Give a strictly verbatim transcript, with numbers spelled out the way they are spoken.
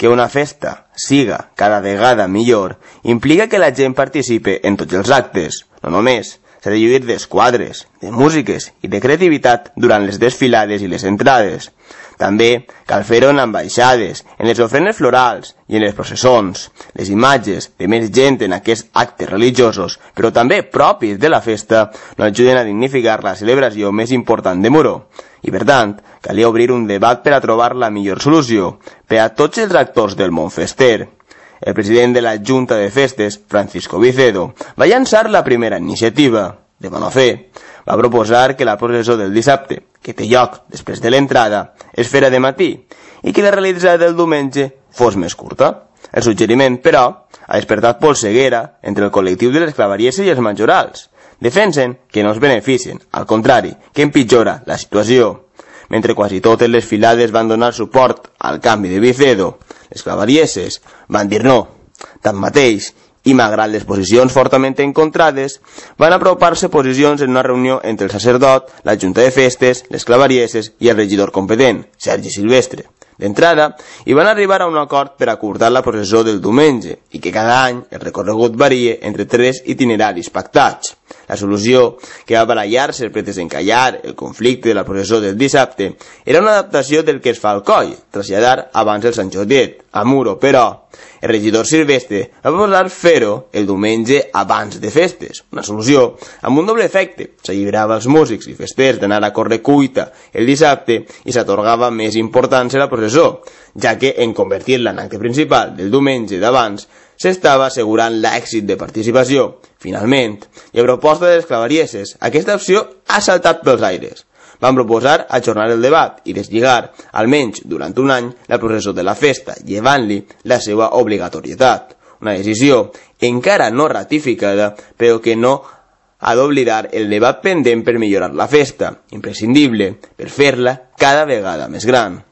Que una festa siga cada vegada millor implica que la gent participe en tots els actes, no només. S'ha de lluir d'esquadres, de músiques i de creativitat durant les desfilades i les entrades. També cal fer-ho en ambaixades, en les ofrenes florals i en les processons. Les imatges de més gent en aquests actes religiosos, però també propis de la festa, no ajuden a dignificar la celebració més important de Muro. I per tant, calia obrir un debat per a trobar la millor solució per a tots els actors del món fester. El president de la Junta de Festes, Francisco Vicedo, va llançar la primera iniciativa, de bona fe. Va proposar que la processó del dissabte, que té lloc després de l'entrada, es fera de matí i que la realitzada del diumenge fos més curta. El suggeriment, però, ha despertat polseguera entre el col·lectiu de les clavarieses i els majorals. Defensen que no es beneficien, al contrari, que empitjora la situació. Mentre quasi totes les filades van donar suport al canvi de Vicedo, les clavarieses van dir no. Tanmateix, i malgrat les posicions fortament encontrades, van apropar-se posicions en una reunió entre el sacerdot, la Junta de Festes, les clavarieses i el regidor competent, Sergi Silvestre. D'entrada, hi van arribar a un acord per acurtar la processó del diumenge i que cada any el recorregut varie entre tres itineraris pactats. La solució, que va barallar-se per desencallar el conflicte de la processó del dissabte, era una adaptació del que es fa al coll, traslladar abans el Sant Jordiet. A Muro, però, el regidor Silvestre va proposar fer-ho el diumenge abans de festes, una solució amb un doble efecte. S'alliberava als músics i festers d'anar a córrer cuita el dissabte i s'atorgava més importància a la processó, ja que en convertir-la en acte principal del diumenge d'abans s'estava assegurant l'èxit de participació. Finalment, i a proposta de les clavarieses, aquesta opció ha saltat pels aires. Van proposar ajornar el debat i deslligar, almenys durant un any, la processó de la festa, llevant-li la seva obligatorietat. Una decisió encara no ratificada, però que no ha d'oblidar el debat pendent per millorar la festa, imprescindible per fer-la cada vegada més gran.